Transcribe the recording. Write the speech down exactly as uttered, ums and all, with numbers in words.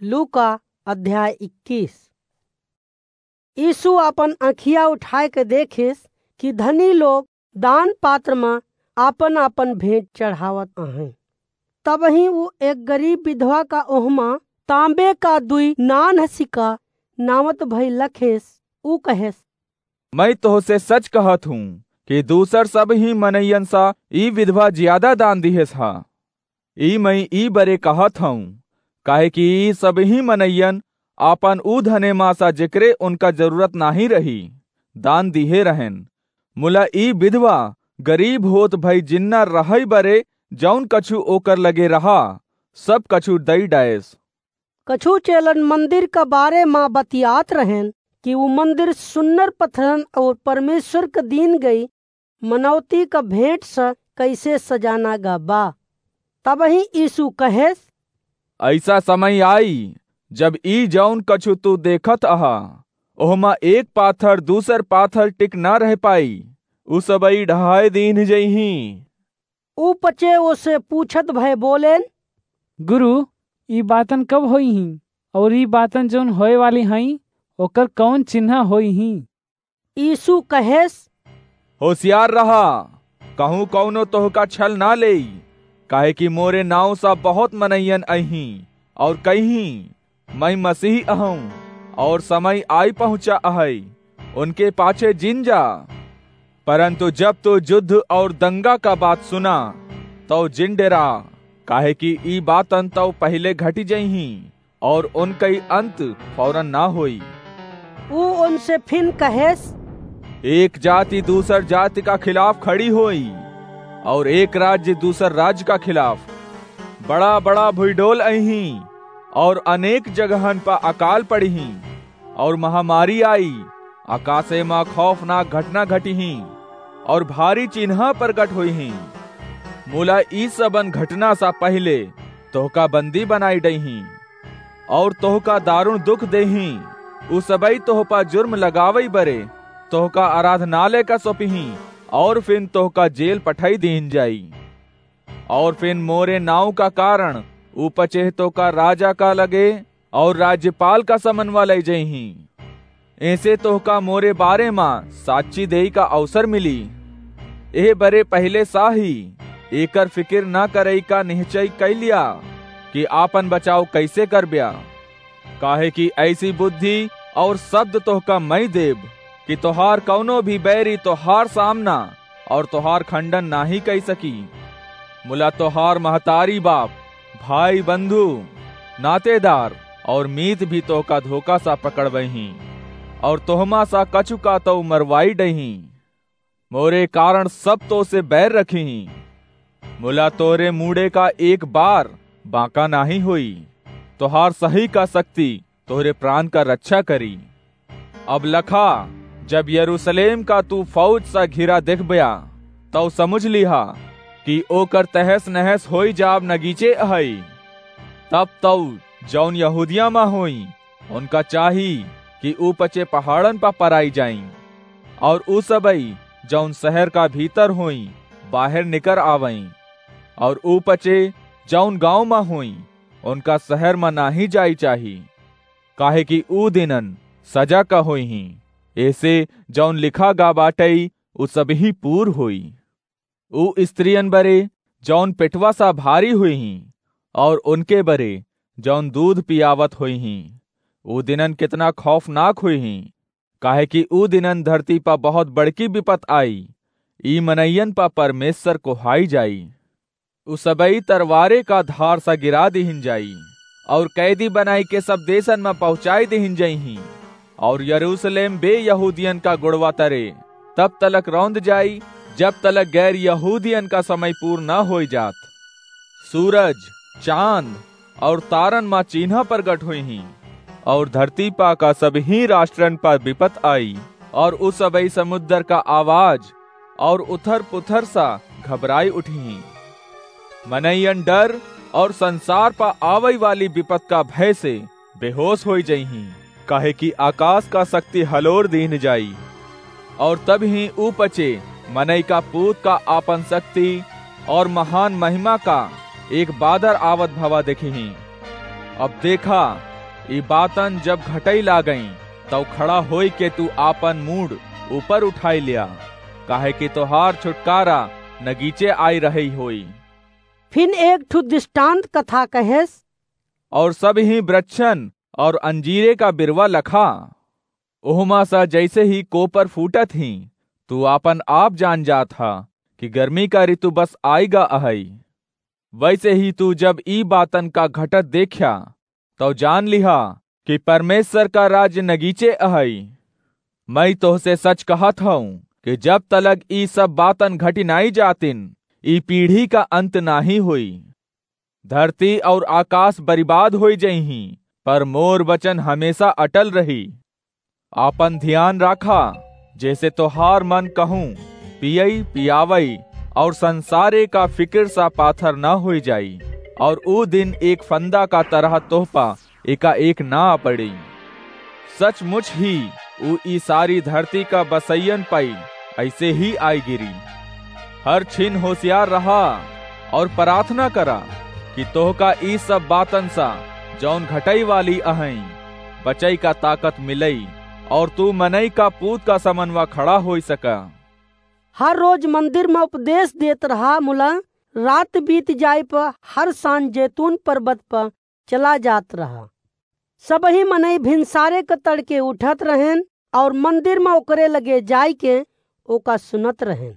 लूका अध्याय इक्कीस। यीशु आपन अँखिया उठाए के देखिस कि धनी लोग दान पात्र म आपन-आपन भेंट चढ़ावत अहैं। तबहीं ऊ एक गरीब विधवा का ओहमा तांबे का दुई नान्ह सिक्का नावत भई लखेस। ऊ कहेस, "मैं तोहसे सच कहत हूँ कि दूसर सबहीं मनइयन सा ई विधवा ज्यादा दान दिहेस हा। ई मैं ई बरे कहत हूँ, काहे कि ई सबहीं मनइयन आपन ऊ धने मा सा जेकरे उनका जरूरत नाहीं रही, दान दिहे रहेन। मुला ई विधवा गरीब होत भई जिन्ना रहई बरे जौन कछु ओकर लगे रहा, सब कछु दई डायस।" कछु चेलन मंदिर का बारे मा बतियात रहेन कि ऊ मंदिर सुन्नर पत्थरन और परमेश्वर क दीन गई मनौती क भेंट स कैसे सजाना गा बा। तबहीं यीशु कहेस, "ऐसा समय आई जब ई जौन कछु तू देखत अहा, ओहमा एक पाथर दूसर पाथर टिक ना रह पाई, उ सबई ढहाए दीन जइहीं।" ऊ पचे ओसे पूछत भय बोलेन, "गुरु, ई बातन कब होइहीं? और ई बातन जौन होए वाली हईं, ओकर कौन चिन्हा होइहीं?" यीशु कहेस, "होशियार रहा, कहूँ कौनो तोहका छल ना लेई, काहे कि मोरे नाव सा बहुत मनइयन अइहीं और कइहीं, 'मैं मसीह अहूँ और समय आई पहुँचा अहई, उनके पाछे जिन जा।' परंतु जब तू युद्ध और दंगा का बात सुना, तौ जिन डेरा, काहे कि ई बातन तौ पहिले घटी जइहीं और उनकई अंत फौरन ना होई।" ऊ उनसे फिन कहेस, "एक जाति दूसर जाति का खिलाफ खड़ी होई और एक राज्य दूसर राज्य का खिलाफ। बड़ा-बड़ा भुइडोल अइहीं और अनेक जगहन पर अकाल पड़िहीं और महामारी आई, आकाशे मा खौफनाक घटना घटिहीं और भारी चिन्हा प्रगट होइहीं। मुला ई सबन घटना सा पहिले तोहका बंदी बनाई डइहीं और तोहका दारुण दुख देहीं। उ सबई तोह पा जुर्म लगावई बरे तोहका आराधनालय का सौंपिहीं और फिन तोहका जेल पठाई दीन जाई। और फिन मोरे नाव का कारण उ पचेह तोहका राजा का लगे और राज्यपाल का समनवा लई जइहीं। ऐसे तोहका मोरे बारे मा साक्षी देई का अवसर मिली। एह बरे पहिले सा ही एकर फिकिर ना करई का निश्चय कइ लिया कि आपन बचाव कैसे करब्या। काहे कि ऐसी बुद्धि और शब्द तोहका मैं देब कि तोहार कौनो भी बैरी तोहार सामना और तोहार खंडन नाहीं कइ सकी। मुला तोहार महतारी बाप, भाई बंधु, नातेदार और मीत भी तोहका धोखा सा पकड़बइहीं और तोहमा सा कछु का तौ मरवाई डइहीं। मोरे कारण सब तो से बैर रखिहीं। मुला तोरे मूड़े का एक बार बांका नाहीं होई। तोहार सही का शक्ति तोहरे प्राण का रक्षा करी। अब लखा, जब यरूशलेम का तू फौज सा घिरा देखब्या, तौ समझ लिहा कि ओकर तहस नहस होई जाब नगीचे अहई। तब तौ जौन यहूदिया मा होई, उनका चाही कि ऊ पचे पहाड़न पा पराई जाई, और ऊ सबई जौन शहर का भीतर होई, बाहर निकर आवई, और ऊ पचे जौन गांव मा होई, उनका शहर मा नाहीं जाई चाही, काहे कि ऊ दिनन सजा का होइहीं। ऐसे जौन लिखा गा बाटई, ऊ सबही पूर होई। ऊ स्त्रियन बरे जौन पेटवा सा भारी होइहीं, और उनके बरे जौन दूध पियावत होइहीं। ऊ दिनन कितना खौफनाक होइहीं, काहे कि ऊ दिनन धरती पा बहुत बड़की विपत आई। ई मनइयन पा परमेश्वर कोहाई जाई। उ सबई तरवारे का धार सा गिरा दिहिन जाई, और कैदी बनाई के सब देशन मा पहुँचाई दिहिन जइहीं, और यरूशलेम बे यहूदियन का गुड़वा तरे तब तलक रौंद जाई, जब तलक गैर यहूदियन का समय पूर न होई जात। सूरज, चांद और तारन मा चीन्हा प्रगट होइहीं, और धरती पा का सबही राष्ट्रन पा विपत आई, और उ सबई समुद्र का आवाज और उथर पुथर सा घबराई उठिहीं। मनइयन डर और संसार पा आवई वाली विपत का भय से बेहोश होई जइहीं, काहे कि आकाश का शक्ति हलोर दीन जाई। और तबही ऊ पचे मनई का पूत का आपन शक्ति और महान महिमा का एक बादर आवत भवा देखिहीं। अब देखा, ई बातन जब घटई लागई, तउ खड़ा होई के तू आपन मूड़ ऊपर उठाई लिया, काहे कि तोहार छुटकारा नगीचे आई रही होई। फिन एक ठु दृष्टांत कथा कहेस। और सब ही वृक्षन और अंजीरे का बिरवा लखा, ओहमा सा जैसे ही कोपर फूटत ही, तू आपन आप जान जात हा कि गर्मी का ऋतु बस आइगा अहई। वैसे ही तू जब ई बातन का घटत देख्या, तउ जान लिहा कि परमेश्वर का राज्य नगीचे अहई। मैं तोहसे सच कहत हूँ कि जब तलक ई सब बातन घटी नाई जातिन, ई पीढ़ी का अंत नाही होई। धरती और आकाश बर्बाद होई जइहीं, पर मोर वचन हमेशा अटल रही। आपन ध्यान राखा, जैसे तोहार मन कहूँ पियई पियावई और संसारे का फिक्र सा पाथर न होई जाई, और ऊ दिन एक फंदा का तरह तोहपा एकाएक ना पड़ी। सचमुच ही ऊ ई सारी धरती का बसैयन पाई ऐसे ही आई गिरी। हर छिन होशियार रहा और प्रार्थना करा कि तोहका ई सब बातन सा, जौन घटई वाली अहई, बचई का ताकत मिलई और तू मनई का पूत का समनवा खड़ा होई सका। हर रोज मंदिर में उपदेश देत रहा, मुला रात बीत जाए पर हर सांझ जैतून पर्वत पर चला जात रहा। सबही मनई भिनसारे क तड़के उठत रहेन और मंदिर में ओकरे लगे जाए के ओका सुनत रहेन।